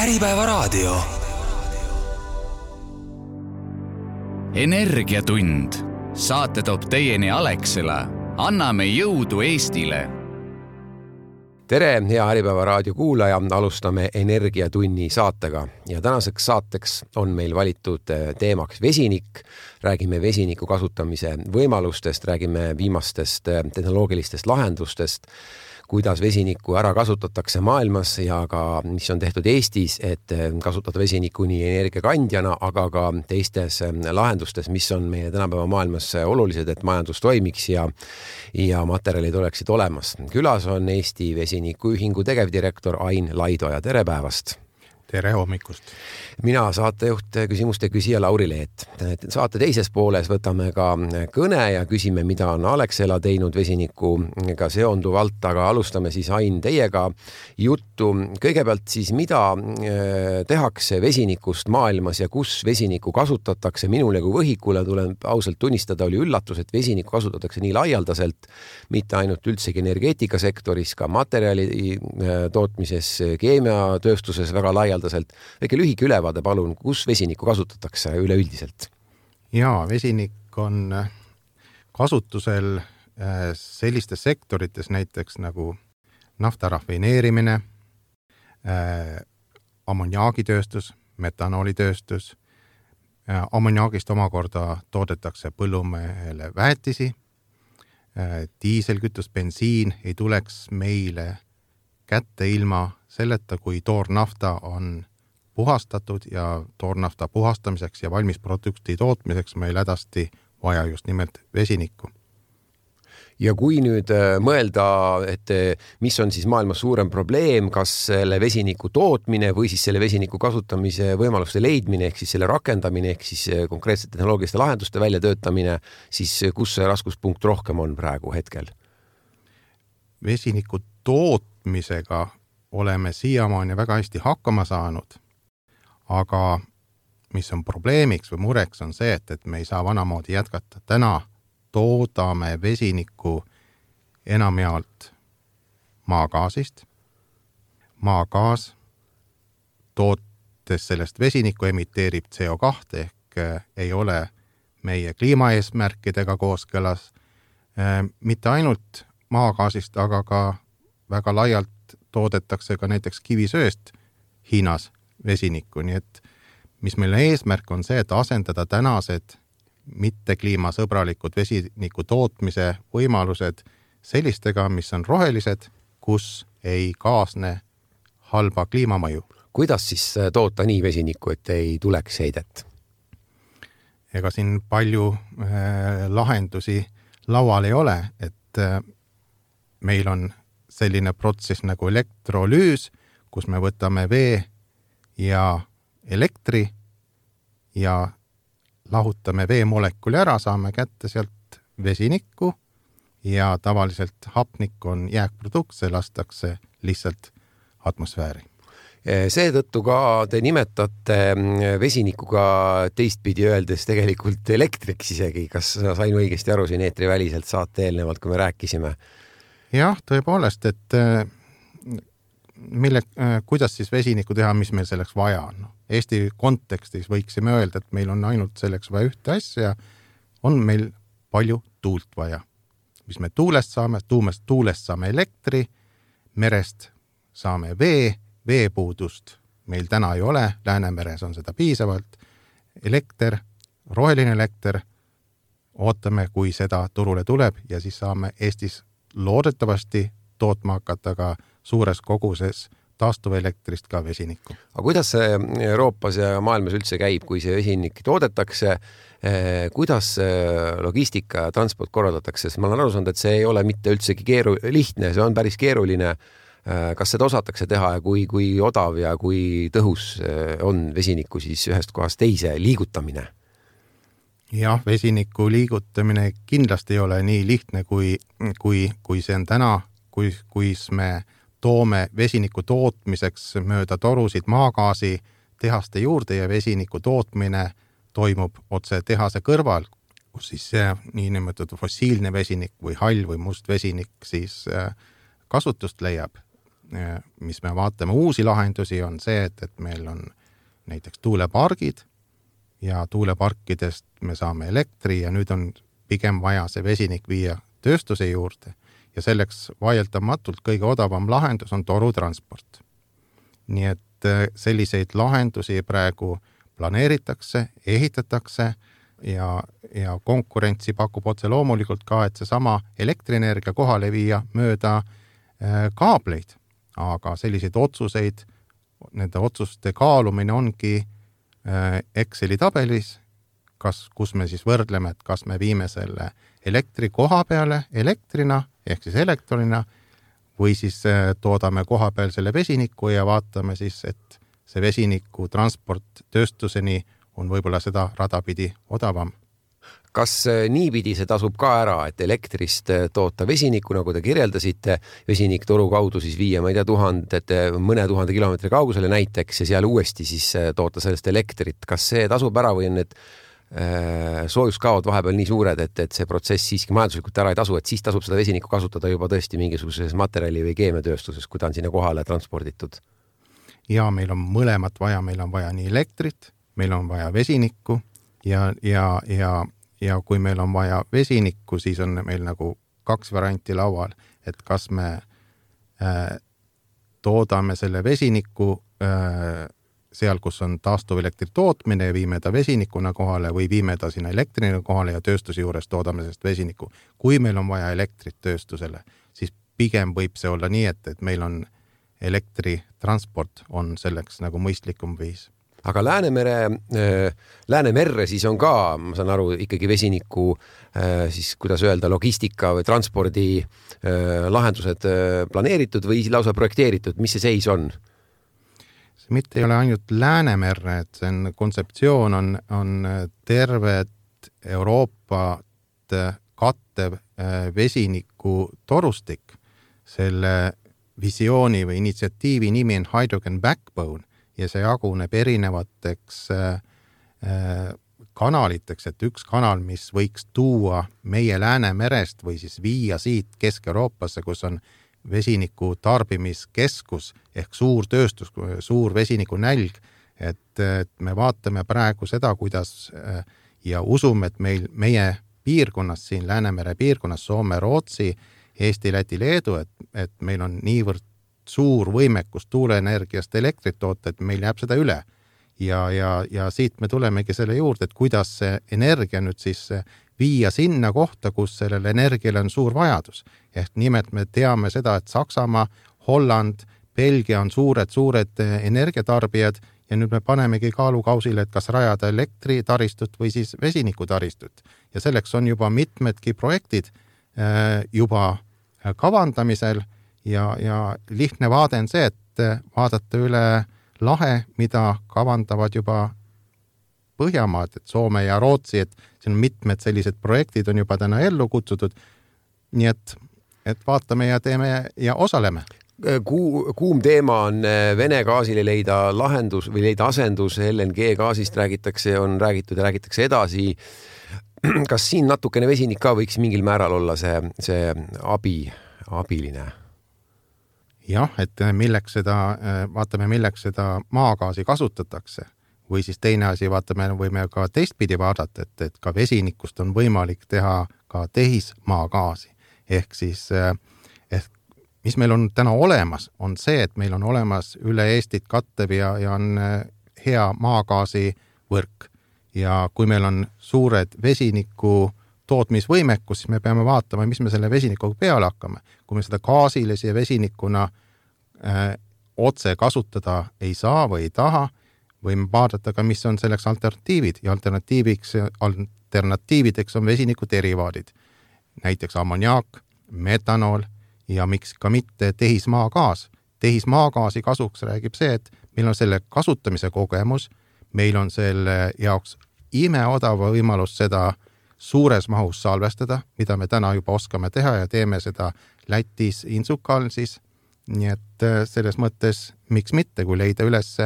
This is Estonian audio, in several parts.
Äripäevaraadio. Energiatund. Saate toob teieni Alexela. Anname jõudu Eestile. Tere, hea Äripäevaraadio kuulaja. Alustame Energiatunni saatega. Ja tänaseks saateks on meil valitud teemaks vesinik. Räägime vesiniku kasutamise võimalustest, räägime viimastest tehnoloogilistest lahendustest, kuidas vesinikku ära kasutatakse maailmas ja ka mis on tehtud Eestis, et kasutada vesinikku nii energiakandjana, aga ka teistes lahendustes, mis on meie tänapäeva maailmas olulised, et majandus toimiks ja materjalid oleksid olemas. Külas on Eesti Vesinikuühingu tegevdirektor Ain Laidoja. Tere päevast! Tere hommikust! Mina saatejuht, küsimuste küsija Lauri Leet. Saate teises pooles võtame ka kõne ja küsime, mida on Alexela teinud vesinikuga seonduvalt, aga alustame siis Ain teiega juttu. Kõigepealt siis, mida tehakse vesinikust maailmas ja kus vesinikku kasutatakse? Minule kui võhikule tulen ausalt tunnistada, oli üllatus, et vesinikku kasutatakse nii laialdaselt, mitte ainult üldsegi energeetikasektoris, ka materjali tootmises, keemiatööstuses väga laialdaselt. Väike lühike ülevaade, palun, kus vesinikku kasutatakse üleüldiselt? Jaa, vesinik on kasutusel sellistes sektorites näiteks nagu nafta rafineerimine, ammoniaagitööstus, metanoolitööstus. Ammoniaagist omakorda toodetakse põllumehele väetisi. Diiselkütus, bensiin ei tuleks meile kätte ilma selleta, kui toornafta on puhastatud ja toornafta puhastamiseks ja valmis produkti tootmiseks meil hädasti vaja just nimelt vesinikku. Ja kui nüüd mõelda, et mis on siis maailmas suurem probleem, kas selle vesiniku tootmine või siis selle vesiniku kasutamise võimaluste leidmine, ehk siis selle rakendamine, ehk siis konkreetsete tehnoloogiliste lahenduste väljatöötamine, siis kus see raskuspunkt rohkem on praegu hetkel? Vesiniku tootmisega oleme siiamaani väga hästi hakkama saanud, aga mis on probleemiks või mureks on see, et me ei saa vanamoodi jätkata. Täna toodame vesinikku enamjaolt maagaasist. Maagaas tootes sellest vesinikku emiteerib CO2 ehk ei ole meie kliimaeesmärkidega kooskõlas. Mitte ainult maagaasist, aga ka väga laialt toodetakse ka näiteks kivisööst Hiinas vesinikku. Nii et mis meil eesmärk on see, et asendada tänased mitte kliimasõbralikud vesiniku tootmise võimalused sellistega, mis on rohelised, kus ei kaasne halba kliimamõju. Kuidas siis toota nii vesinikku, et ei tuleks heidet? Ega siin palju lahendusi laual ei ole, et meil on selline protsess nagu elektrolüüs, kus me võtame vee ja elektri ja lahutame veemolekuli ära, saame kätte sealt vesinikku ja tavaliselt hapnik on jääkprodukt, see lastakse lihtsalt atmosfääri. Seetõttu ka te nimetate vesinikuga teistpidi öeldes tegelikult elektriks isegi. Kas sain õigesti aru siin eetri väliselt saate eelnevalt, kui me rääkisime? Jah, tõepoolest, et kuidas siis vesinikku teha, mis meil selleks vaja on? Eesti kontekstis võiksime öelda, et meil on ainult selleks vaja ühte asja, on meil palju tuult vaja. Mis me tuulest saame elektri, merest saame veepuudust meil täna ei ole, Läänemeres on seda piisavalt. Elekter, roheline elekter, ootame, kui seda turule tuleb ja siis saame Eestis loodetavasti tootma hakata ka suures koguses taastuvelektrist ka vesinikku. Aga kuidas see Euroopas ja maailmas üldse käib, kui see vesinik toodetakse, kuidas logistika ja transport korraldatakse? Ma olen aru saanud, et see ei ole mitte üldsegi lihtne, see on päris keeruline. Kas seda osatakse teha ja kui odav ja kui tõhus on vesiniku siis ühest kohast teise liigutamine? Jah, vesiniku liigutamine kindlasti ei ole nii lihtne, kui see on täna, kui me toome vesiniku tootmiseks mööda torusid maagaasi tehaste juurde ja vesiniku tootmine toimub otse tehase kõrval, kus siis see niinimetatud fossiilne vesinik või hall või must vesinik siis kasutust leiab. mis me vaatame uusi lahendusi, on see, et meil on näiteks tuulepargid ja tuuleparkidest me saame elektri ja nüüd on pigem vaja see vesinik viia tööstuse juurde ja selleks vaieldamatult kõige odavam lahendus on torutransport. Nii et selliseid lahendusi praegu planeeritakse, ehitatakse ja konkurentsi pakub otse loomulikult ka, et seesama elektrienergia kohale viia mööda kaableid, aga selliseid otsuseid, nende otsuste kaalumine ongi Exceli tabelis, kus me siis võrdleme, et kas me viime selle elektri koha peale elektrina ehk siis elektronina või siis toodame koha peal selle vesiniku ja vaatame siis, et see vesiniku transport tööstuseni on võib-olla seda radapidi odavam. Kas niipidi see tasub ka ära, et elektrist toota vesiniku, nagu te kirjeldasite, vesinik toru kaudu siis viia, ma ei tea, mõne tuhande kilomeetri kaugusele näiteks ja seal uuesti siis toota sellest elektrit. Kas see tasub ära või on need soojuskaod vahepeal nii suured, et see protsess siiski majanduslikult ära ei tasu, et siis tasub seda vesinikku kasutada juba tõesti mingisuguses materjali või keemiatööstuses, kui ta on sinna kohale transporditud? Ja meil on mõlemat vaja, meil on vaja nii elektrit, meil on vaja vesinikku ja kui meil on vaja vesinikku, siis on meil nagu 2 varianti laual, et kas me toodame selle vesiniku seal, kus on taastuvelektri tootmine ja viime ta vesinikuna kohale või viime ta sinna elektrina kohale ja tööstuse juures toodame sellest vesiniku. Kui meil on vaja elektrit tööstusele, siis pigem võib see olla nii, et meil on elektritransport on selleks nagu mõistlikum viis. Aga Läänemerre siis on ka, ma saan aru, ikkagi vesiniku siis, kuidas öelda, logistika või transpordi lahendused planeeritud või lausa projekteeritud. Mis see seis on? See mitte ei ole ainult Läänemerre, et see on kontseptsioon on tervet Euroopat kattev vesiniku torustik. Selle visiooni või initsiatiivi nimi on Hydrogen Backbone ja see jaguneb erinevateks kanaliteks, et üks kanal, mis võiks tuua meie Läänemerest või siis viia siit Kesk-Euroopasse, kus on vesiniku tarbimiskeskus ehk suur tööstus, suur vesiniku nälg, et me vaatame praegu seda, kuidas ja usume, et meie piirkonnas, siin Läänemere piirkonnas, Soome, Rootsi, Eesti, Läti, Leedu, et meil on niivõrd suur võimekus tuuleenergiast elektrit toota, et meil jääb seda üle. Ja siit me tulemegi selle juurde, et kuidas see energia nüüd siis viia sinna kohta, kus sellel energiale on suur vajadus. Ehk nimelt me teame seda, et Saksamaa, Holland, Belgia on suured energiatarbijad ja nüüd me panemegi kaalukausile, et kas rajada elektritaristut või siis vesinikutaristut. Ja selleks on juba mitmedki projektid juba kavandamisel ja lihtne vaade on see, et vaadata üle lahe, mida kavandavad juba Põhjamaad, et Soome ja Rootsi, et siin on mitmed sellised projektid on juba täna ellu kutsutud. Nii et vaatame ja teeme ja osaleme. Kuum teema on Vene gaasile leida lahendus või leida asendus, LNG gaasist räägitakse, on räägitud ja räägitakse edasi. Kas siin natukene vesinik ka võiks mingil määral olla see abiline? Jah, et vaatame, milleks seda maagaasi kasutatakse. Või siis teine asi, võime ka teistpidi vaadata, et ka vesinikust on võimalik teha ka tehismaagaasi. Ehk siis, mis meil on täna olemas, on see, et meil on olemas üle Eestit kattev ja on hea maagaasi võrk. Ja kui meil on suured vesiniku tootmisvõimekus, siis me peame vaatama, mis me selle vesinikuga peale hakkame. Kui me seda gaasilise ja vesinikuna otse kasutada ei saa või ei taha, võime vaadata ka, mis on selleks alternatiivid. Ja alternatiivideks on vesiniku derivaadid. Näiteks ammoniaak, metanool ja miks ka mitte tehismaagaas. Tehismaagaasi kasuks räägib see, et meil on selle kasutamise kogemus, meil on selle jaoks imeodava võimalus seda suures mahus salvestada, mida me täna juba oskame teha ja teeme seda Lätis Insukal siis. Nii et selles mõttes, miks mitte, kui leida üles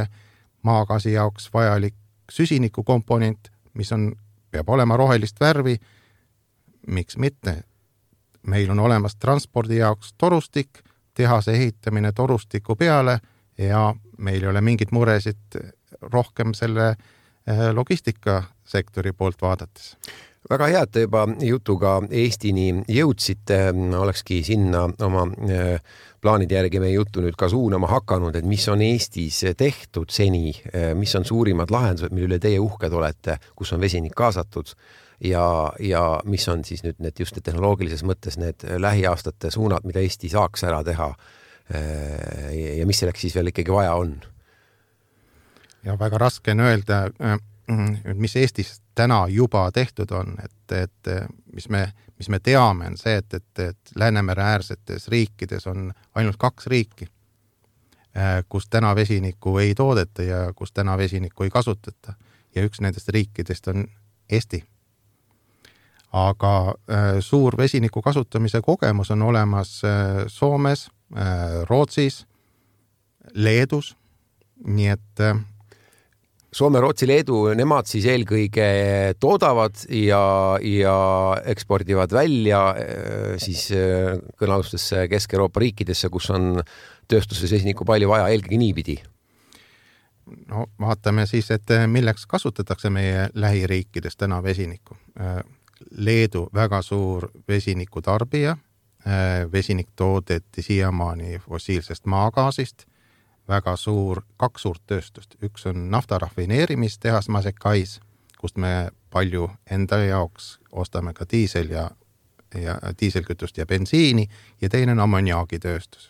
maagaasi jaoks vajalik süsiniku komponent, mis peab olema rohelist värvi, miks mitte. Meil on olemas transpordi jaoks torustik, tehase ehitamine torustiku peale ja meil ei ole mingit muresid rohkem selle logistikasektori poolt vaadates. Väga hea, et te juba jutuga Eestini jõudsite, olekski sinna oma plaanide järgi meie juttu nüüd ka suunama hakanud, et mis on Eestis tehtud seni, mis on suurimad lahendused, mille üle teie uhked olete, kus on vesinik kaasatud ja mis on siis nüüd need just tehnoloogilises mõttes need lähiaastate suunad, mida Eesti saaks ära teha ja mis selleks siis veel ikkagi vaja on? Ja väga raske on öelda, mis Eestis täna juba tehtud on, et mis me teame, on see, et Läänemere äärsetes riikides on ainult 2 riiki, kus täna vesinikku ei toodeta ja kus täna vesinikku ei kasutata. Ja üks nendest riikidest on Eesti. Aga suur vesiniku kasutamise kogemus on olemas Soomes, Rootsis, Leedus, nii et Soome, Rootsi, Leedu, nemad siis eelkõige toodavad ja ekspordivad välja siis kõnealustesse Kesk-Euroopa riikidesse, kus on tööstuses vesiniku palju vaja, eelkõige niipidi. No vaatame siis, et milleks kasutatakse meie lähiriikides täna vesinikku. Leedu väga suur vesiniku tarbija, vesinik toodeti siiamaani fossiilsest maagaasist, väga suur, 2 suurt tööstust. Üks on naftarafineerimistehas Masekais, kust me palju enda jaoks ostame ka diisel ja diiselkütust ja bensiini ja teine on ammoniaagitööstus.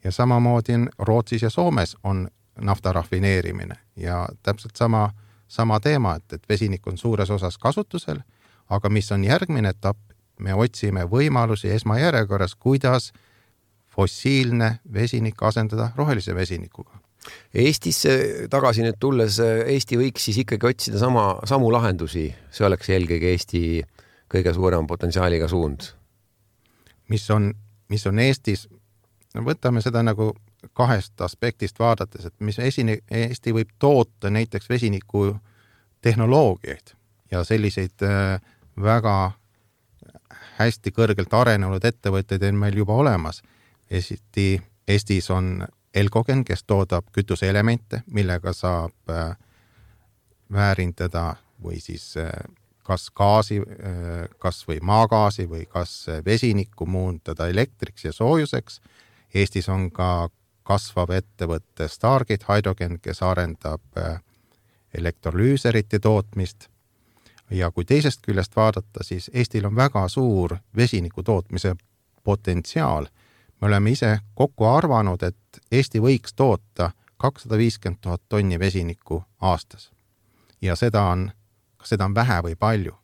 Ja samamoodi on Rootsis ja Soomes on naftarafineerimine ja täpselt sama teema, et vesinik on suures osas kasutusel, aga mis on järgmine etapp, me otsime võimalusi esmajärjekorras, kuidas fossiilne vesinik asendada rohelise vesinikuga. Eestisse tagasi nüüd tulles, Eesti võiks siis ikkagi otsida samu lahendusi, see oleks eelkõige Eesti kõige suurem potentsiaaliga suund. Mis on Eestis, võtame seda nagu 2 aspektist vaadates, et mis Eesti võib toota näiteks vesiniku tehnoloogiaid ja selliseid väga hästi kõrgelt arenenud ettevõtteid on meil juba olemas. Eestis on Elcogen, kes toodab kütuseelemente, millega saab väärindada või siis kas gaasi, kas või maagaasi või kas vesinikku muundada elektriks ja soojuseks. Eestis on ka kasvav ettevõtte Stargate Hydrogen, kes arendab elektrolüüserite tootmist. Ja kui teisest küljest vaadata, siis Eestil on väga suur vesiniku tootmise potentsiaal. Me oleme ise kokku arvanud, et Eesti võiks toota 250 000 tonni vesinikku aastas. Ja seda on vähe või palju.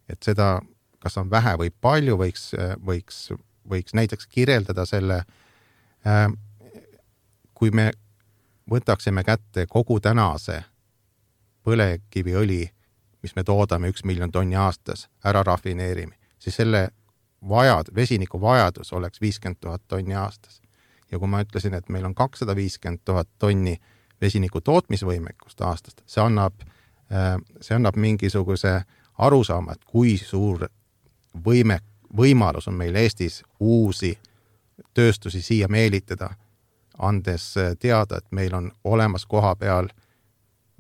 Et seda, kas on vähe või palju, võiks näiteks kirjeldada selle, kui me võtaksime kätte kogu tänase põlevkiviõli, mis me toodame 1 miljon tonni aastas, ära rafineerime, siis selle vesiniku vajadus oleks 50 000 tonni aastas. Ja kui ma ütlesin, et meil on 250 000 tonni vesiniku tootmisvõimekust aastast, see annab mingisuguse arusaama, et kui suur võimalus on meil Eestis uusi tööstusi siia meelitada, andes teada, et meil on olemas koha peal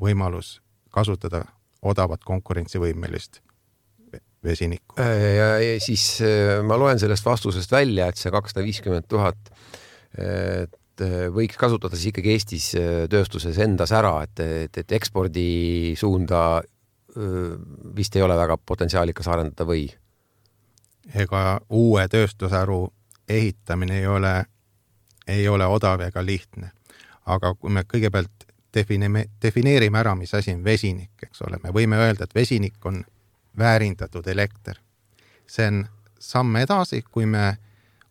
võimalus kasutada odavat konkurentsivõimelist vesinikku. Ja siis ma loen sellest vastusest välja, et see 250 000 võiks kasutada siis ikkagi Eestis tööstuses endas ära, et ekspordi suunda vist ei ole väga potentsiaalikas arendada või? Ega uue tööstusharu ehitamine ei ole odav ega lihtne. Aga kui me kõigepealt defineerime ära, mis asi on vesinik, eks ole, me võime öelda, et vesinik on väärindatud elekter. See on samm edasi, kui me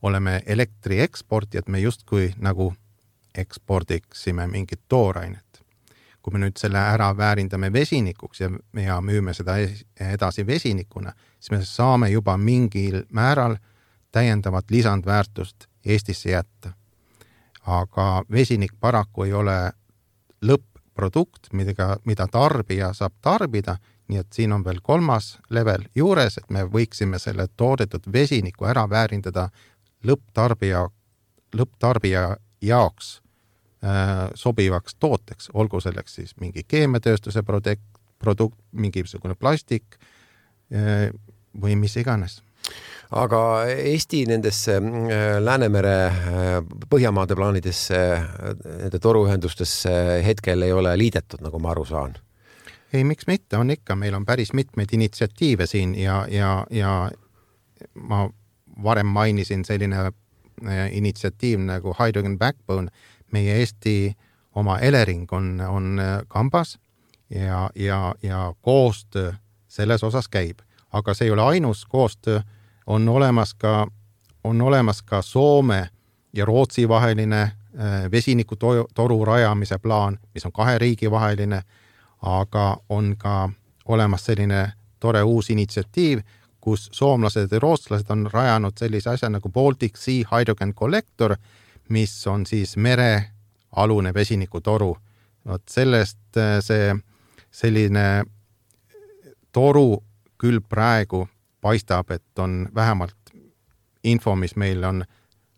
oleme elektri eksportijad, me justkui nagu ekspordiksime mingit toorainet. Kui me nüüd selle ära väärindame vesinikuks ja müüme seda edasi vesinikuna, siis me saame juba mingil määral täiendavat lisandväärtust Eestisse jätta. Aga vesinik paraku ei ole lõpp-produkt, mida tarbija saab tarbida, nii et siin on veel 3. level juures, et me võiksime selle toodetud vesiniku ära väärindada lõpptarbija lõpptarbija jaoks sobivaks tooteks, olgu selleks siis mingi keemiatööstuse produkt, mingisugune plastik või mis iganes. Aga Eesti nendesse Läänemere Põhjamaade plaanidesse, nende toruühendustesse hetkel ei ole liidetud, nagu ma aru saan. Ei, miks mitte, on ikka, meil on päris mitmeid initsiatiive siin ja ma varem mainisin selline initsiatiiv nagu Hydrogen Backbone, meie Eesti oma Elering on kambas ja koostöö selles osas käib. Aga see ei ole ainus koostöö, on olemas ka Soome ja Rootsi vaheline vesinikutoru rajamise plaan, mis on 2 riigi vaheline, aga on ka olemas selline tore uus initsiatiiv, kus soomlased ja rootslased on rajanud sellise asja nagu Baltic Sea Hydrogen Collector, mis on siis merealune vesinikutoru. Sellest see selline toru küll praegu paistab, et on vähemalt info, mis meil on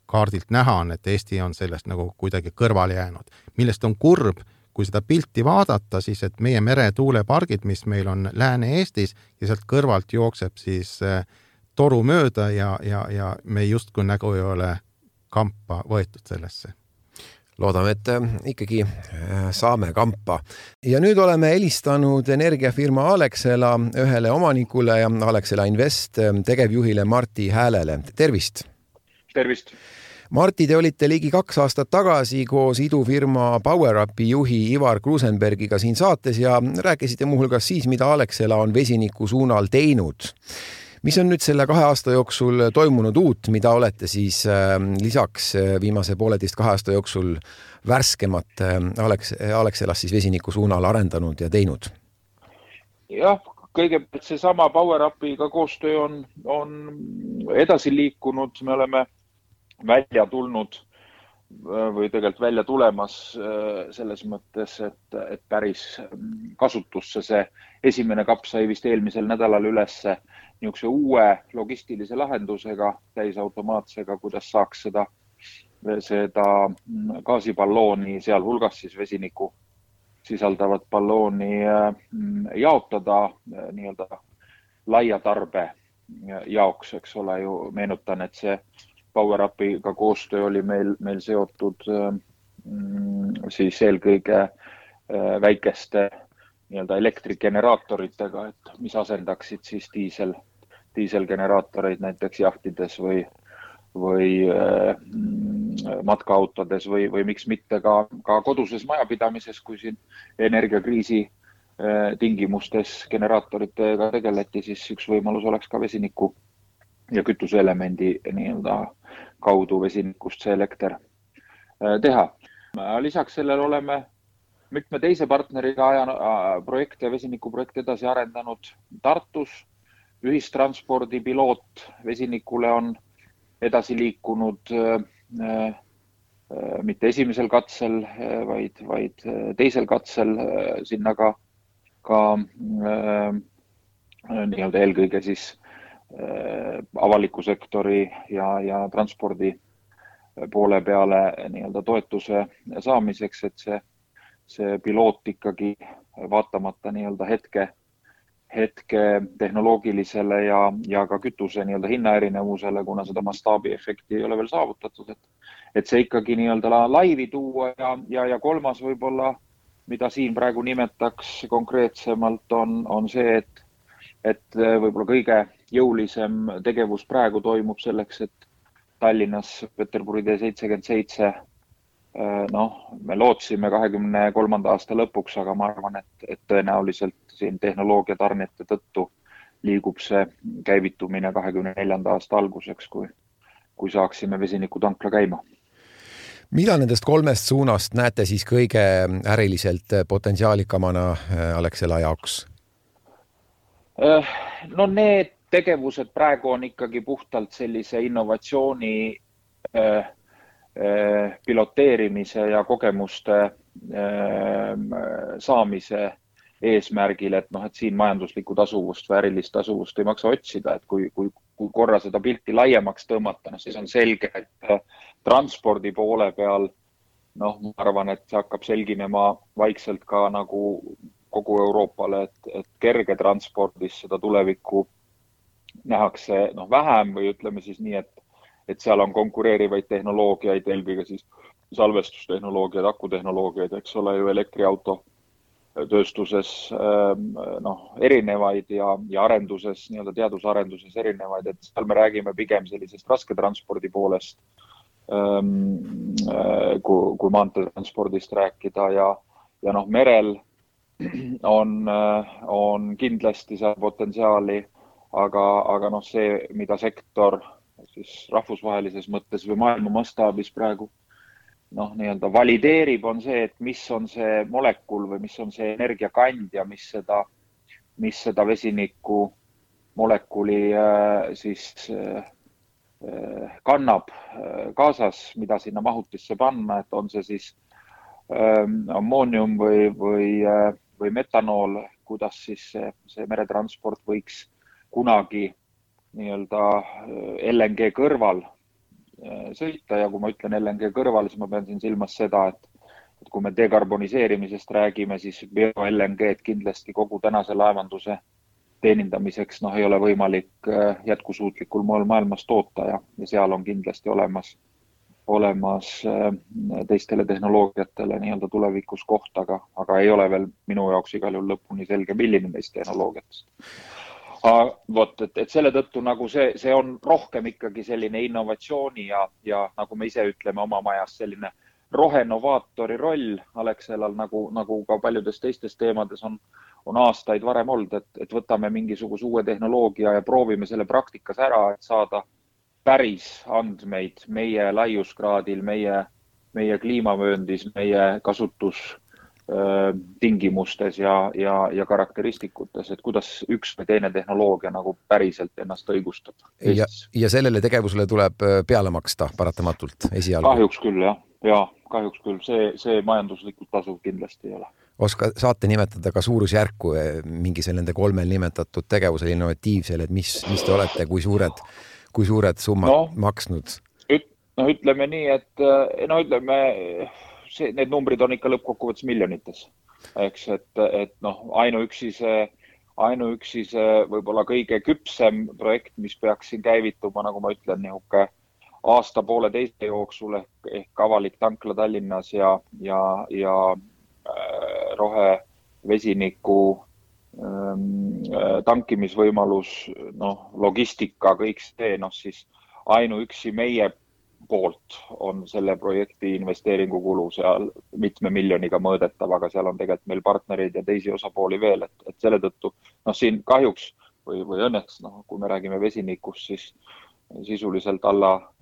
kaardilt näha, on, et Eesti on sellest nagu kuidagi kõrvale jäänud. Millest on kurb, kui seda pilti vaadata, siis et meie meretuulepargid, mis meil on Lääne-Eestis ja sealt kõrvalt jookseb siis toru mööda ja me justkui nagu ei ole kampa võetud sellesse. Loodame, et ikkagi saame kampa. Ja nüüd oleme helistanud energiafirma Alexela ühele omanikule ja Alexela Invest tegevjuhile Martti Häälele. Tervist! Tervist! Martti, te olite ligi 2 aastat tagasi koos idufirma PowerUpi juhi Ivar Krusenbergiga siin saates ja rääkisite muuhulgas siis, mida Alexela on vesiniku suunal teinud. Mis on nüüd selle 2 aasta jooksul toimunud uut, mida olete siis lisaks viimase 1,5–2 aasta jooksul värskemat Alexelas siis vesiniku suunal arendanud ja teinud? Jah, kõigepealt see sama PowerUpiga koostöö on edasi liikunud, me oleme välja tulnud või tegelikult välja tulemas selles mõttes, et päris kasutusse see esimene kapp sai vist eelmisel nädalal ülesse niisuguse uue logistilise lahendusega, täisautomaatsega, kuidas saaks seda gaasipallooni, seal hulgas siis vesiniku sisaldavat ballooni jaotada nii-öelda laia tarbe jaoks, eks ole ju, meenutan, et see PowerUpiga koostöö oli meil seotud siis eelkõige väikeste nii-öelda elektrigeneraatoritega, et mis asendaksid siis diiselgeneraatoreid näiteks jahtides või matkaautodes või miks mitte ka koduses majapidamises, kui siin energiakriisi tingimustes generaatoritega tegeleti, siis üks võimalus oleks ka vesiniku ja kütuseelemendi nii-öelda kaudu vesinikust see elekter teha. Lisaks sellele oleme mitme teise partneriga vesinikuprojekte edasi arendanud Tartus. Ühistranspordi piloot vesinikule on edasi liikunud mitte esimesel katsel, vaid teisel katsel sinna ka nii-öelda eelkõige siis avaliku sektori ja transpordi poole peale nii-öelda toetuse saamiseks, et see piloot ikkagi vaatamata nii-öelda hetke tehnoloogilisele ja ka kütuse nii-öelda hinnaerinevusele, kuna seda mastaabiefekti ei ole veel saavutatud, et see ikkagi nii-öelda laivi tuua ja kolmas võib-olla, mida siin praegu nimetaks konkreetsemalt, on see, et võib-olla kõige jõulisem tegevus praegu toimub selleks, et Tallinnas Peterburi tee 77, me lootsime 23. aasta lõpuks, aga ma arvan, et tõenäoliselt siin tehnoloogia tarnete tõttu liigub see käivitumine 24. aasta alguseks, kui saaksime vesinikutankla käima. Mida nendest 3 suunast näete siis kõige äriliselt potentsiaalikamana Alexela jaoks? No need tegevused praegu on ikkagi puhtalt sellise innovatsiooni piloteerimise ja kogemuste saamise eesmärgil, et siin majanduslikku tasuvust või ärilist tasuvust ei maksa otsida, et kui korra seda pilti laiemaks tõmmata, siis on selge, et transpordi poole peal, noh, ma arvan, et see hakkab selginema vaikselt ka nagu kogu Euroopale, et kerge transpordis seda tulevikku nähakse vähem või ütleme siis nii, et seal on konkureerivaid tehnoloogiaid, eelkõige siis salvestustehnoloogiaid, akutehnoloogiaid, eks ole ju elektriauto tööstuses erinevaid ja arenduses, nii-öelda teadusarenduses erinevaid, et seal me räägime pigem sellisest rasketranspordi poolest, kui maanteetranspordist rääkida ja merel on kindlasti seal potentsiaali, aga see, mida sektor siis rahvusvahelises mõttes või maailma mastaabis praegu nii-öelda valideerib, on see, et mis on see molekul või mis on see energiakandja, mis seda vesiniku molekuli siis kannab kaasas, mida sinna mahutisse panna, et on see siis ammoonium või metanool, kuidas siis see meretransport võiks kunagi nii-öelda LNG kõrval sõita ja kui ma ütlen LNG kõrval, siis ma pean siin silmas seda, et kui me dekarboniseerimisest räägime, siis bio-LNG kindlasti kogu tänase laevanduse teenindamiseks ei ole võimalik jätkusuutlikul moel maailmas toota ja seal on kindlasti olemas teistele tehnoloogiatele nii-öelda tulevikus koht, aga ei ole veel minu jaoks igal juhul lõpuni selge, milline neist tehnoloogiatest. Et selle tõttu nagu see on rohkem ikkagi selline innovatsiooni ja nagu me ise ütleme oma majas, selline rohenovaatori roll Alexelal nagu ka paljudes teistes teemades on aastaid varem olnud, et võtame mingisuguse uue tehnoloogia ja proovime selle praktikas ära, et saada päris andmeid meie laiuskraadil, meie kliimavööndis, meie kasutustingimustes ja karakteristikutes, et kuidas üks või teine tehnoloogia nagu päriselt ennast õigustab. Ja sellele tegevusele tuleb peale maksta paratamatult esialgu? Kahjuks küll, jah. Kahjuks küll. See majanduslikult tasuv kindlasti ei ole. Saate nimetada ka suurusjärku mingi nende 3 nimetatud tegevusel innovatiivsel, et mis te olete, kui suured summad maksnud? Ütleme nii, et need numbrid on ikka lõppkokkuvõttes miljonites. Eks, et ainuüksi see võib-olla kõige küpsem projekt, mis peaks siin käivituma, nagu ma ütlen, nihuke aasta-poole teise jooksul ehk avalik tankla Tallinnas ja rohevesiniku tankimisvõimalus, logistika, kõik see, siis ainuüksi meie poolt on selle projekti investeeringukulu seal mitme miljoniga mõõdetav, aga seal on tegelikult meil partnerid ja teisi osapooli veel, et selle tõttu, siin kahjuks või õnneks, kui me räägime vesinikust, siis sisuliselt alla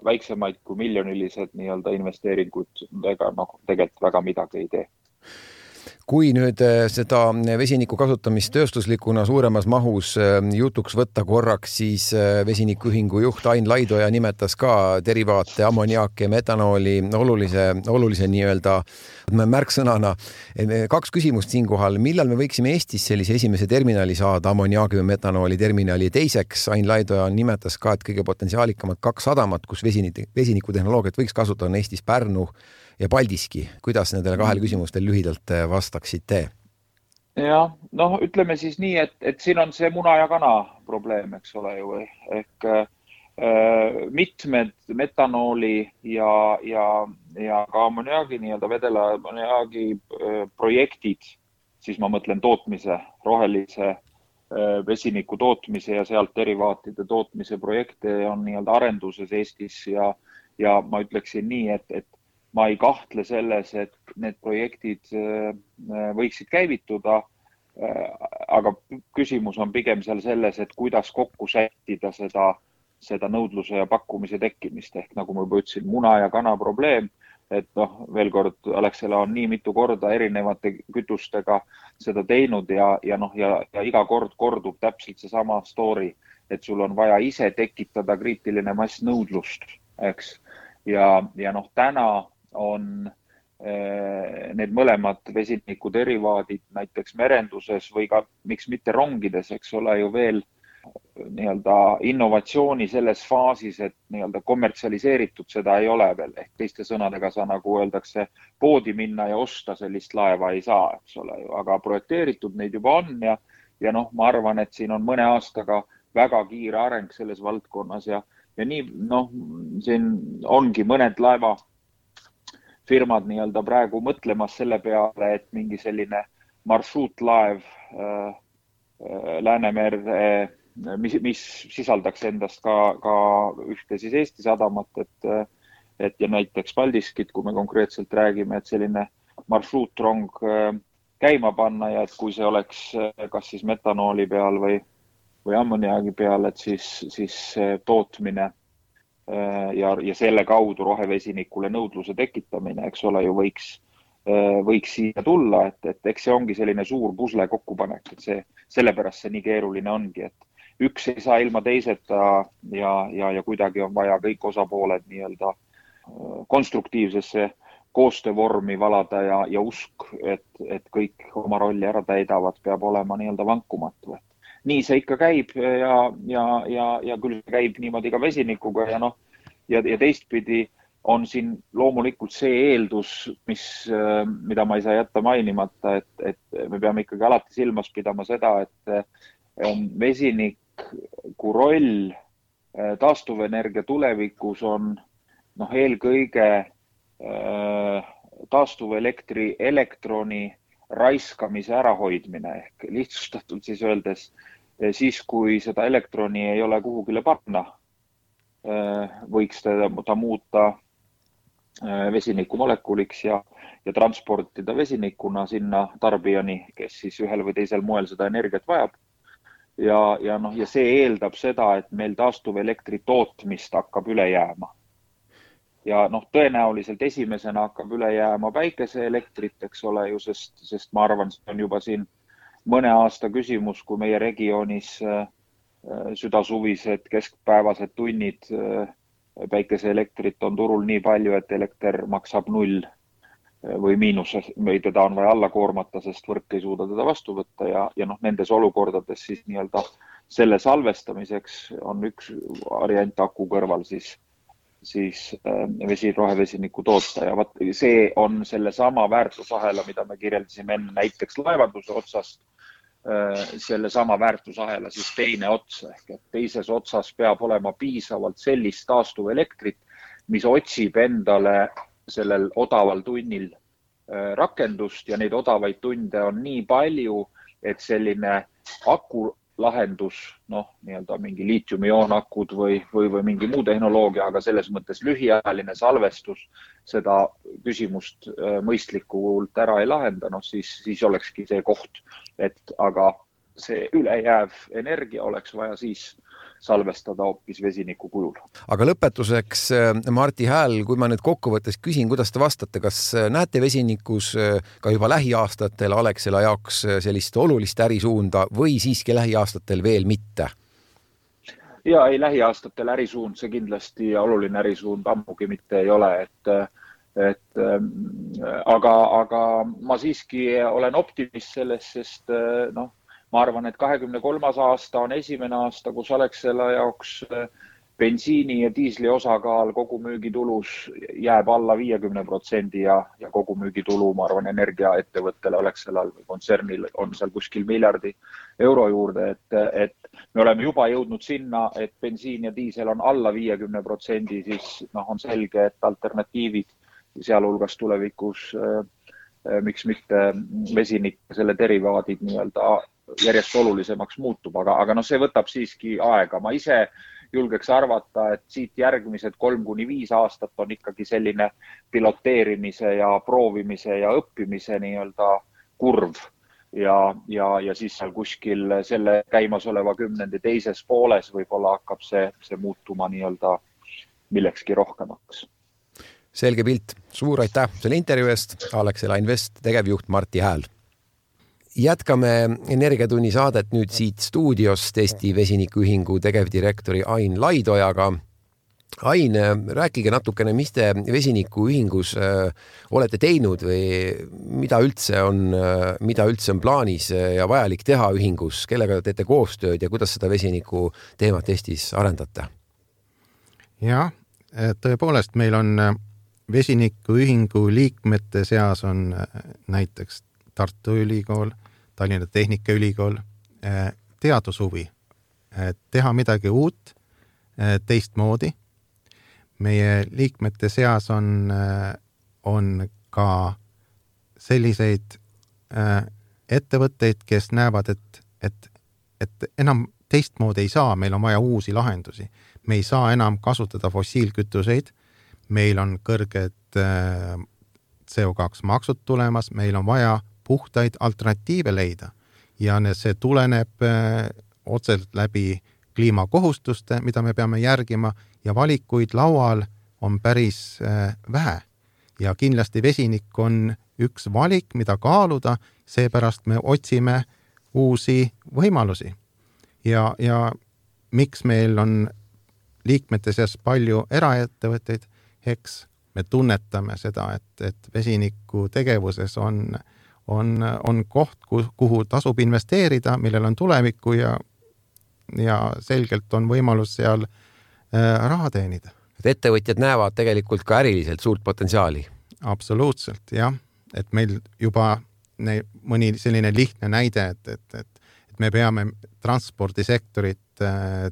väiksemaid kui miljonilised nii-öelda investeeringud tegelikult väga midagi ei tee. Kui nüüd seda vesiniku kasutamist tööstuslikuna suuremas mahus jutuks võtta korraks, siis vesinikuühingu juht Ain Laidoja nimetas ka derivaate, ammoniaaki ja metanooli olulise nii-öelda märksõnana. 2 küsimust siinkohal. Millal me võiksime Eestis sellise esimese terminali saada, ammoniaagi või metanooli terminali? Teiseks, Ain Laidoja nimetas ka, et kõige potentsiaalikamad 2 sadamat, kus vesinikutehnoloogiat võiks kasutada, on Eestis Pärnu ja Paldiski. Kuidas nendele 2 küsimustel lühidalt vastaksite? Ja, ütleme siis nii, et siin on see muna ja kana probleem, eks ole ju, ehk mitmed metanooli ja ka ammoniaagi, nii-öelda vedela ammoniaagi projektid, siis ma mõtlen tootmise, rohelise vesiniku tootmise ja sealt derivaatide tootmise projekte on nii-öelda arenduses Eestis ja ma ütleksin nii, et ma ei kahtle selles, et need projektid võiksid käivituda, aga küsimus on pigem seal selles, et kuidas kokku sättida seda nõudluse ja pakkumise tekkimist. Ehk nagu ma juba ütlesin, muna ja kana probleem, et veel kord, Alexela on nii mitu korda erinevate kütustega seda teinud ja iga kord kordub täpselt see sama story, et sul on vaja ise tekitada kriitiline mass nõudlust, eks. Ja täna on need mõlemad vesiniku derivaadid näiteks merenduses või ka miks mitte rongides, eks ole ju veel nii-öelda innovatsiooni selles faasis, et nii-öelda kommertsialiseeritud seda ei ole veel. Ehk teiste sõnadega sa nagu öeldakse, poodi minna ja osta sellist laeva ei saa, eks ole ju, aga projekteeritud neid juba on ja noh, ma arvan, et siin on mõne aastaga väga kiire areng selles valdkonnas ja nii, noh, siin ongi mõned laevafirmad nii-öelda praegu mõtlemas selle peale, et mingi selline marsruutlaev Läänemere, mis sisaldaks endast ka ühte siis Eesti sadamat, et ja näiteks Paldiskit, kui me konkreetselt räägime, et selline marsruutrong käima panna ja et kui see oleks kas siis metanooli peal või ammoniaagi peal, et siis tootmine ja selle kaudu rohevesinikule nõudluse tekitamine, eks ole, ju võiks siia tulla, et eks see ongi selline suur pusle kokkupanek, et sellepärast see nii keeruline ongi, et üks ei saa ilma teiseta ja kuidagi on vaja kõik osapooled nii-öelda konstruktiivsesse koostöövormi valada ja usk, et kõik oma rolli ära täidavad, peab olema nii-öelda vankumatu. Nii see ikka käib ja küll see käib niimoodi ka vesinikuga ja teistpidi on siin loomulikult see eeldus, mida ma ei saa jätta mainimata, et me peame ikkagi alati silmas pidama seda, et vesiniku roll taastuvenergia tulevikus on eelkõige taastuvelektri elektroni raiskamise ärahoidmine ehk lihtsustatult siis öeldes, siis kui seda elektroni ei ole kuhugile panna, võiks ta muuta vesinikumolekuliks ja transportida vesinikuna sinna tarbijani, kes siis ühel või teisel moel seda energiat vajab. Ja see eeldab seda, et meil taastuvelektri tootmist hakkab üle jääma. Ja tõenäoliselt esimesena hakkab üle jääma päikeseelektrit, eks ole ju, sest ma arvan, see on juba siin mõne aasta küsimus, kui meie regioonis südasuvised keskpäevased tunnid päikeseelektrit on turul nii palju, et elekter maksab 0 või miinus või teda on vaja alla koormata, sest võrk ei suuda teda vastu võtta ja nendes olukordades siis nii-öelda selle salvestamiseks on üks variant aku kõrval siis rohevesiniku toota ja see on selle sama väärtusahela, mida me kirjeldasime enne näiteks laevanduse otsast, selle sama väärtusahela siis teine ots ehk et teises otsas peab olema piisavalt sellist taastuvelektrit, mis otsib endale sellel odaval tunnil rakendust ja neid odavaid tunde on nii palju, et selline akulahendus, nii-öelda mingi liitiumioon-akud või mingi muu tehnoloogia, aga selles mõttes lühiajaline salvestus seda küsimust mõistlikult ära ei lahenda, siis olekski see koht, aga see ülejääv energia oleks vaja siis salvestada hoopis vesiniku kujul. Aga lõpetuseks, Martti Hääl, kui ma nüüd kokkuvõttes küsin, kuidas te vastate, kas näete vesinikus ka juba lähiaastatel Alexela jaoks sellist olulist ärisuunda või siiski lähiaastatel veel mitte? Ja ei, lähiaastatel ärisuund see kindlasti oluline ärisuund ammugi mitte ei ole, aga ma siiski olen optimist selles, sest ma arvan, et 2023. aasta on esimene aasta, kus Alexela jaoks bensiini ja diisli osakaal kogu müügitulus jääb alla 50% ja kogu müügitulu, ma arvan, energiaettevõttele Alexelal või kontsernil on seal kuskil miljardi euro juurde, et me oleme juba jõudnud sinna, et bensiin ja diisel on alla 50%, siis on selge, et alternatiivid sealhulgas tulevikus, miks mitte vesinik, selle derivaadid nii-öelda järjest olulisemaks muutub, aga see võtab siiski aega. Ma ise julgeks arvata, et siit järgmised 3-5 aastat on ikkagi selline piloteerimise ja proovimise ja õppimise nii-öelda kurv ja siis seal kuskil selle käimasoleva kümnendi teises pooles võib-olla hakkab see muutuma nii-öelda millekski rohkemaks. Selge pilt. Suur aitäh selle intervjuu eest. Alexela Invest tegevjuht Martti Hääl. Jätkame Energiatunni saadet nüüd siit stuudiost Eesti Vesinikuühingu tegevdirektori Ain Laidojaga Ain, rääkige natukene, mis te vesinikuühingus olete teinud või mida üldse on plaanis ja vajalik teha ühingus, kellega teete koostööd ja kuidas seda vesiniku teemat Eestis arendate? Jah, tõepoolest meil on vesinikuühingu liikmete seas on näiteks Tartu Ülikool, Tallinna Tehnikaülikool, teadushuvi, teha midagi uut, teistmoodi. Meie liikmete seas on ka selliseid ettevõtteid, kes näevad, et enam teistmoodi ei saa, meil on vaja uusi lahendusi. Me ei saa enam kasutada fossiilkütuseid, meil on kõrged CO2 maksud tulemas, meil on vaja puhtaid alternatiive leida ja see tuleneb otseselt läbi kliimakohustuste, mida me peame järgima ja valikuid laual on päris vähe. Ja kindlasti vesinik on üks valik, mida kaaluda, seepärast me otsime uusi võimalusi. Ja miks meil on liikmete seas palju eraettevõtteid, eks me tunnetame seda, et vesiniku tegevuses on koht, kuhu tasub investeerida, millel on tulevikku ja selgelt on võimalus seal raha teenida. Et ettevõtjad näevad tegelikult ka äriliselt suurt potentsiaali. Absoluutselt, jah. Et meil juba mõni selline lihtne näide, et me peame transpordisektorit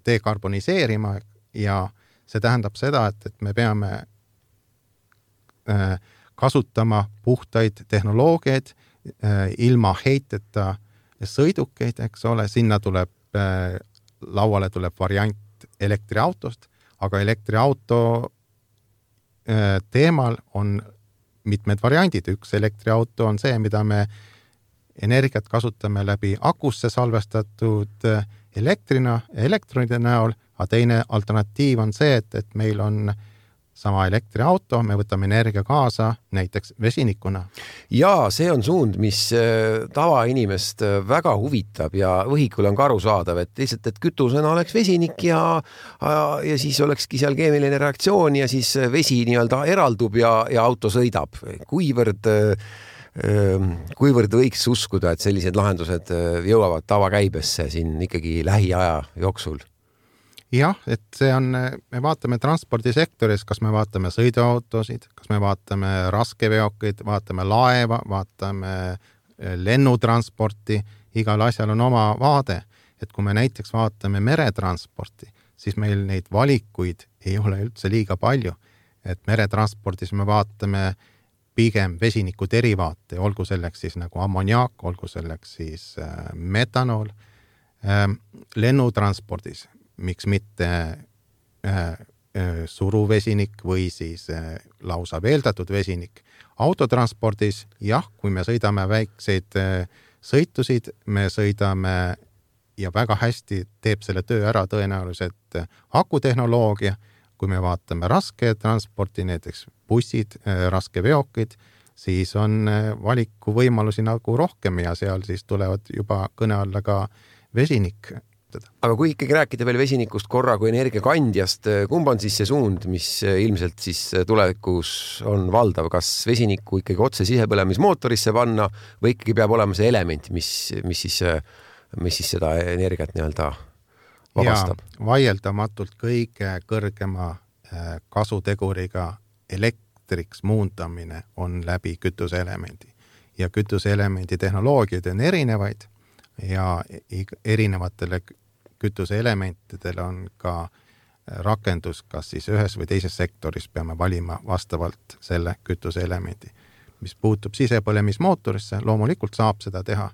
dekarboniseerima ja see tähendab seda, et me peame kasutama puhtaid tehnoloogiaid, ilma heiteta sõidukeid, eks ole, sinna lauale tuleb variant elektriautost, aga elektriauto teemal on mitmed variandid. Üks elektriauto on see, mida me energiat kasutame läbi akusse salvestatud elektronide näol, aga teine alternatiiv on see, et meil on sama elektriauto, me võtame energia kaasa näiteks vesinikuna. Ja see on suund, mis tavainimest väga huvitab ja võhikul on ka arusaadav, et lihtsalt, et kütusena oleks vesinik ja siis olekski seal keemiline reaktsioon ja siis vesi nii-öelda eraldub ja auto sõidab. Kuivõrd võiks uskuda, et sellised lahendused jõuavad tavakäibesse siin ikkagi lähiaja jooksul? Jah, et see on, me vaatame transpordisektoris, kas me vaatame sõiduautosid, kas me vaatame raskeveokeid, vaatame laeva, vaatame lennutransporti, igal asjal on oma vaade. Et kui me näiteks vaatame meretransporti, siis meil neid valikuid ei ole üldse liiga palju. Et meretransportis me vaatame pigem vesiniku derivaate, olgu selleks siis nagu ammoniaak, olgu selleks siis metanool, lennutranspordis miks mitte suruvesinik või siis lausa veeldatud vesinik. Autotranspordis, jah, kui me sõidame väikseid sõitusid, me sõidame ja väga hästi teeb selle töö ära tõenäoliselt akutehnoloogia. Kui me vaatame raske transporti, näiteks bussid, raske veokid, siis on valiku võimalusi nagu rohkem ja seal siis tulevad juba kõne alla ka vesinik. Aga kui ikkagi rääkida veel vesinikust korra kui energiakandjast, kumb on siis see suund, mis ilmselt siis tulevikus on valdav? Kas vesiniku ikkagi otse sisepõlemismootorisse panna või ikkagi peab olema see element, mis siis seda energiat nii-öelda vabastab? Ja vaieldamatult kõige kõrgema kasuteguriga elektriks muundamine on läbi kütuseelemendi. Ja kütuseelemendi tehnoloogiad on erinevaid ja erinevatele kütuseelementidele on ka rakendus, kas siis ühes või teises sektoris peame valima vastavalt selle kütuseelemendi. Mis puutub sisepõlemismootorisse, loomulikult saab seda teha.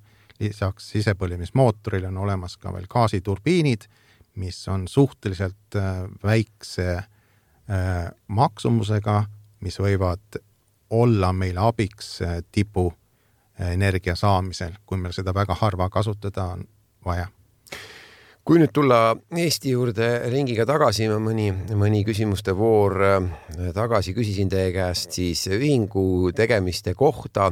Lisaks sisepõlemismootoril on olemas ka veel gaasiturbiinid, mis on suhteliselt väikse maksumusega, mis võivad olla meile abiks tipu energia saamisel, kui meil seda väga harva kasutada on vaja. Kui nüüd tulla Eesti juurde ringiga tagasi, mõni küsimuste voor tagasi küsisin teie käest siis ühingu tegemiste kohta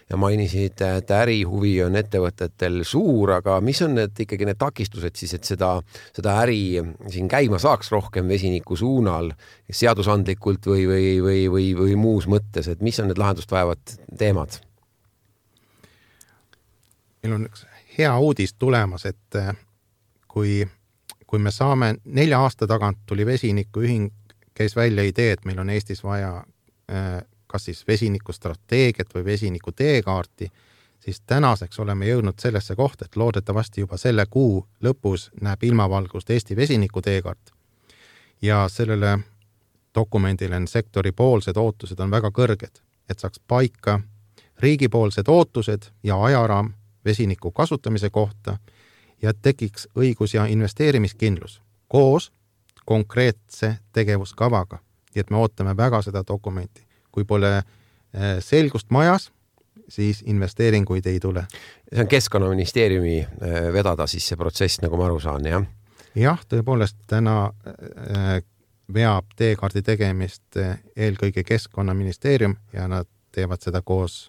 ja mainisid, et ärihuvi on ettevõtetel suur, aga mis on ikkagi need takistused siis, et seda äri siin käima saaks rohkem vesiniku suunal seadusandlikult või muus mõttes, et mis on need lahendust vajavad teemad? Meil on üks hea uudis tulemas, et kui me saame 4 aasta tagant tuli vesinikuühing, käis välja idee, et meil on Eestis vaja kas siis vesinikustrateegiat või vesiniku teekaarti, siis tänaseks oleme jõudnud sellesse kohta, et loodetavasti juba selle kuu lõpus näeb ilmavalgust Eesti vesiniku teekaart. Ja sellele dokumendile sektori poolsed ootused on väga kõrged, et saaks paika riigipoolsed ootused ja ajaraam vesiniku kasutamise kohta ja tekiks õigus- ja investeerimiskindlus koos konkreetse tegevuskavaga. Nii et me ootame väga seda dokumenti. Kui pole selgust majas, siis investeeringuid ei tule. See on Keskkonnaministeeriumi vedada siis see protsess, nagu ma aru saan, jah? Jah, tõepoolest täna veab teekaardi tegemist eelkõige Keskkonnaministeerium ja nad teevad seda koos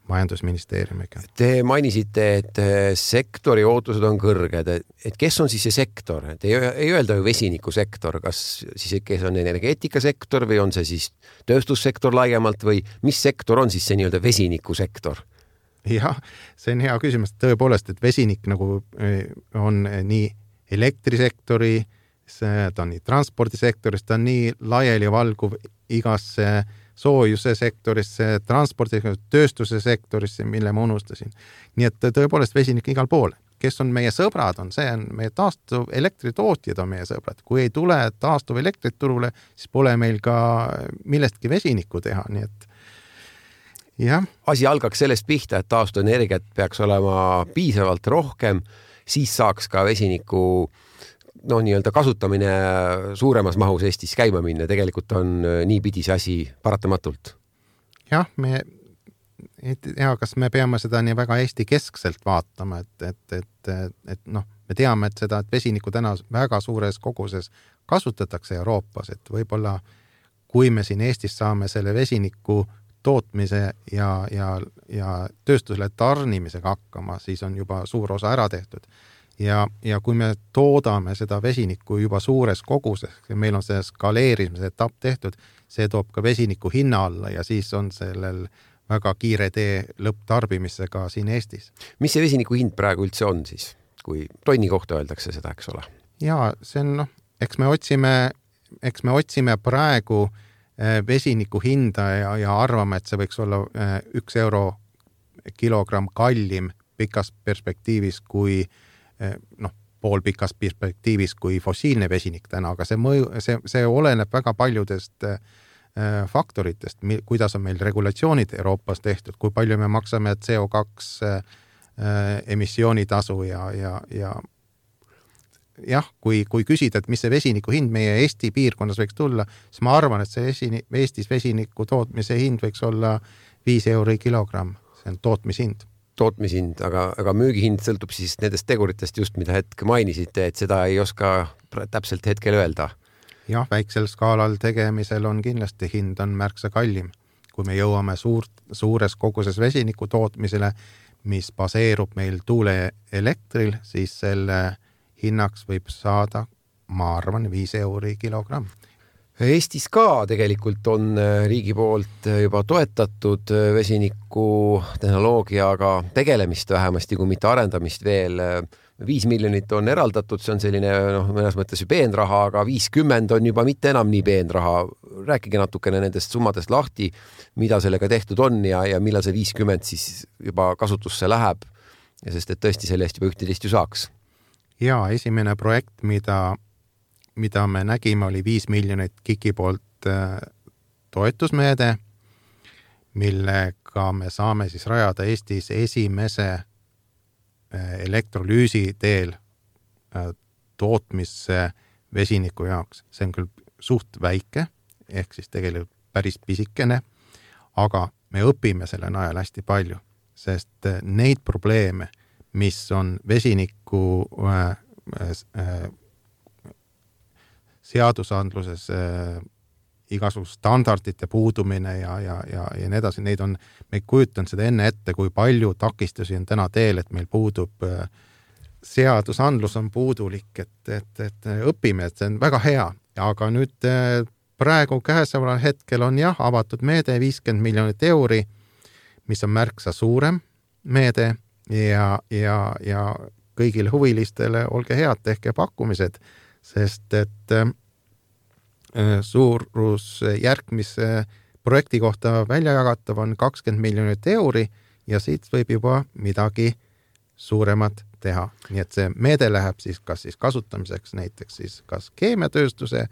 majandusministeeriumiga. Te mainisite, et sektori ootused on kõrged, et kes on siis see sektor? Et ei öelda ju vesinikusektor, kas siis kes on energeetikasektor või on see siis tööstussektor laiemalt või mis sektor on siis see nii-öelda vesinikusektor? Jah, see on hea küsimus. Tõepoolest, et vesinik nagu on nii elektrisektori, ta on nii transpordisektoris, ta on nii laiali valguv igasse soojuse sektorisse, transpordi, tööstuse sektorisse, mille ma unustasin. Nii et tõepoolest vesinik igal pool. Kes on meie sõbrad, see on meie taastuv elektritootjad on meie sõbrad. Kui ei tule taastuv elektrit turule, siis pole meil ka millestki vesinikku teha. Nii et jah. Asi algaks sellest pihta, et taastuvenergiat peaks olema piisavalt rohkem, siis saaks ka vesiniku nii-öelda kasutamine suuremas mahus Eestis käima minna. Tegelikult on niipidi see asi paratamatult. Jah, kas me peame seda nii väga Eesti keskselt vaatama, et me teame, et seda, et vesiniku täna väga suures koguses kasutatakse Euroopas, et võib-olla kui me siin Eestis saame selle vesiniku tootmise ja tööstusele tarnimisega hakkama, siis on juba suur osa ära tehtud. Ja kui me toodame seda vesinikku juba suures koguses, meil on see skaleerimise etapp tehtud, see toob ka vesiniku hinna alla ja siis on sellel väga kiire tee lõpptarbimisega siin Eestis. Mis see vesiniku hind praegu üldse on siis, kui tonni kohta öeldakse seda, eks ole? Jaa, see on, eks me otsime praegu vesiniku hinda ja arvame, et see võiks olla 1 euro kilogramm kallim pikas perspektiivis kui pool pikas perspektiivis kui fossiilne vesinik täna, aga see oleneb väga paljudest faktoritest, kuidas on meil regulatsioonid Euroopas tehtud, kui palju me maksame CO2 emissioonitasu ja jah, kui küsida, et mis see vesiniku hind meie Eesti piirkonnas võiks tulla, siis ma arvan, et see Eestis vesiniku tootmise hind võiks olla 5 euri kilogramm, see on tootmishind, aga müügihind sõltub siis nendest teguritest just, mida hetk mainisite, et seda ei oska täpselt hetkel öelda. Jah, väiksel skaalal tegemisel on kindlasti hind on märksa kallim. Kui me jõuame suures koguses vesiniku tootmisele, mis baseerub meil tuuleelektril, siis selle hinnaks võib saada, ma arvan, 5 euri kilogramm. Eestis ka tegelikult on riigi poolt juba toetatud vesiniku tehnoloogiaga tegelemist vähemasti, kui mitte arendamist veel. 5 miljonit on eraldatud, see on selline mõnes mõttes peenraha, aga 50 on juba mitte enam nii peenraha. Rääkige natukene nendest summadest lahti, mida sellega tehtud on ja millal see 50 siis juba kasutusse läheb, sest et tõesti selle eest juba ühtedest ju saaks. Ja esimene projekt, mida me nägime, oli 5 miljonit KIK-i poolt toetusmeede, millega me saame siis rajada Eestis esimese elektrolüüsi teel tootmisse vesiniku jaoks. See on küll suht väike, ehk siis tegelikult päris pisikene, aga me õpime selle najal hästi palju, sest neid probleeme, mis on vesiniku seadusandluses igasugust standardite puudumine ja nii edasi, neid on, me ei kujutanud seda enne ette, kui palju takistusi on täna teel, et meil puudub seadusandlus on puudulik, et õpime, et see on väga hea, aga nüüd praegu käesoleval hetkel on avatud meede 50 miljonit euri, mis on märksa suurem meede ja kõigile huvilistele olge head, tehke pakkumised, sest et suurus järgmise projekti kohta välja jagatav on 20 miljonit euri ja siit võib juba midagi suuremat teha. Nii et see meede läheb siis kas siis kasutamiseks näiteks siis kas keemiatööstuse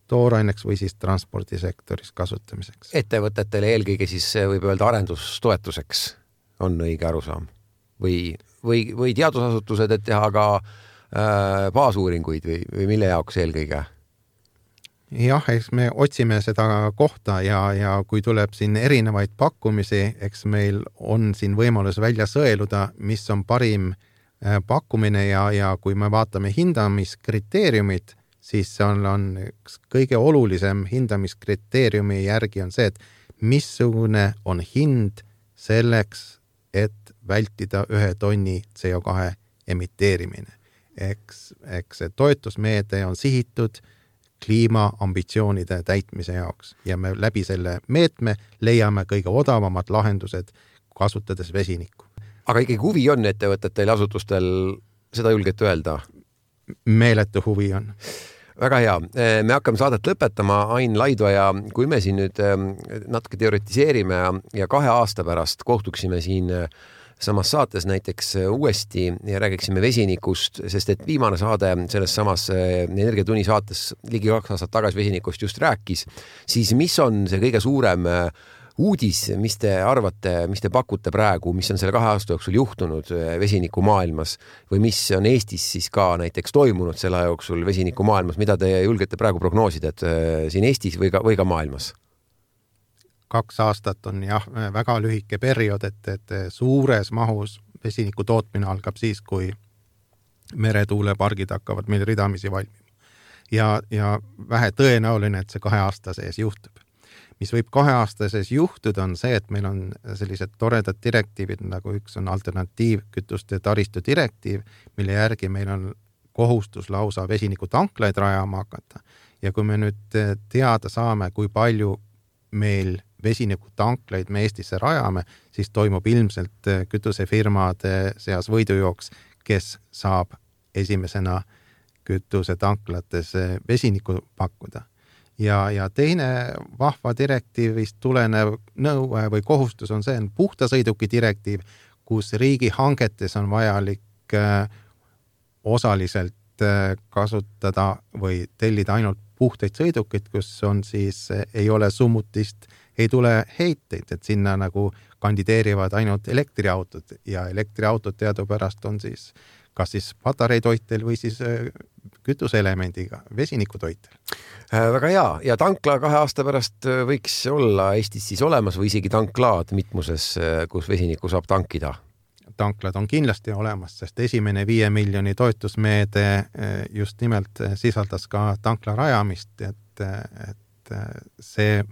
tooraineks või siis transpordisektoris kasutamiseks. Ettevõtetele eelkõige siis võib öelda arendustoetuseks on õige arusaam või teadusasutused, et teha ka baasuuringuid või mille jaoks eelkõige? Jah, eks me otsime seda kohta ja kui tuleb siin erinevaid pakkumisi, eks meil on siin võimalus välja sõeluda, mis on parim pakkumine ja kui me vaatame hindamiskriteeriumid, siis on üks kõige olulisem hindamiskriteeriumi järgi on see, et missugune on hind selleks, et vältida 1 tonni CO2 emiteerimine. Eks see toetusmeede on sihitud kliimaambitsioonide täitmise jaoks ja me läbi selle meetme leiame kõige odavamad lahendused, kasutades vesinikku. Aga ikkagi huvi on ettevõtetel ja asutustel, seda julgete öelda? Meeletu huvi on. Väga hea. Me hakkame saadet lõpetama, Ain Laidoja, kui me siin nüüd natuke teoretiseerime ja 2 aasta pärast kohtuksime siin samas saates näiteks uuesti ja räägiksime vesinikust, sest et viimane saade selles samas Energiatunni saates ligi 2 aastat tagasi vesinikust just rääkis, siis mis on see kõige suurem uudis, mis te arvate, mis te pakute praegu, mis on selle 2 aasta jooksul juhtunud vesiniku maailmas või mis on Eestis siis ka näiteks toimunud selle jooksul vesiniku maailmas, mida te julgete praegu prognoosida, et siin Eestis või ka maailmas? 2 aastat on väga lühike periood, et suures mahus vesiniku tootmine algab siis, kui meretuulepargid hakkavad meil ridamisi valmima. Ja vähe tõenäoline, et see 2 aasta sees juhtub. Mis võib 2 aasta sees juhtuda, on see, et meil on sellised toredad direktiivid, nagu üks on alternatiivkütuste taristu direktiiv, mille järgi meil on kohustus lausa vesiniku tanklaid rajama hakata. Ja kui me nüüd teada saame, kui palju meil vesiniku tanklaid me Eestisse rajame, siis toimub ilmselt kütusefirmade seas võidujooks, kes saab esimesena kütusetanklates vesinikku pakkuda. Ja teine vahva direktiivist tulenev nõue või kohustus on see, puhta sõiduki direktiiv, kus riigi hangetes on vajalik osaliselt kasutada või tellida ainult puhtaid sõidukid, kus on siis, ei ole summutist, ei tule heiteid, et sinna nagu kandideerivad ainult elektriautod ja elektriautod teadupärast on siis kas siis patareitoitel või siis kütuseelemendiga, vesinikutoitel. Väga hea ja tankla 2 aasta pärast võiks olla Eestis siis olemas või isegi tanklaad mitmuses, kus vesinikku saab tankida? Tanklad on kindlasti olemas, sest esimene 5 miljoni toetusmeede just nimelt sisaldas ka tankla rajamist, et see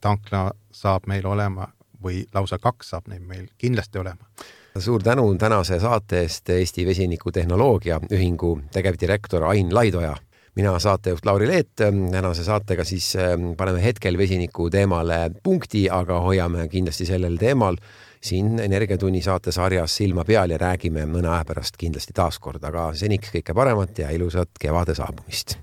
tankla saab meil olema või lausa 2 saab meil kindlasti olema. Suur tänu tänase saate eest Eesti Vesinikutehnoloogia ühingu tegevdirektor Ain Laidoja. Mina saatejuht Lauri Leet, tänase saatega siis paneme hetkel vesiniku teemale punkti, aga hoiame kindlasti sellel teemal siin Energiatunni saatesarjas silma peal ja räägime mõne aja pärast kindlasti taaskord, aga seniks kõike paremat ja ilusat kevade saabumist.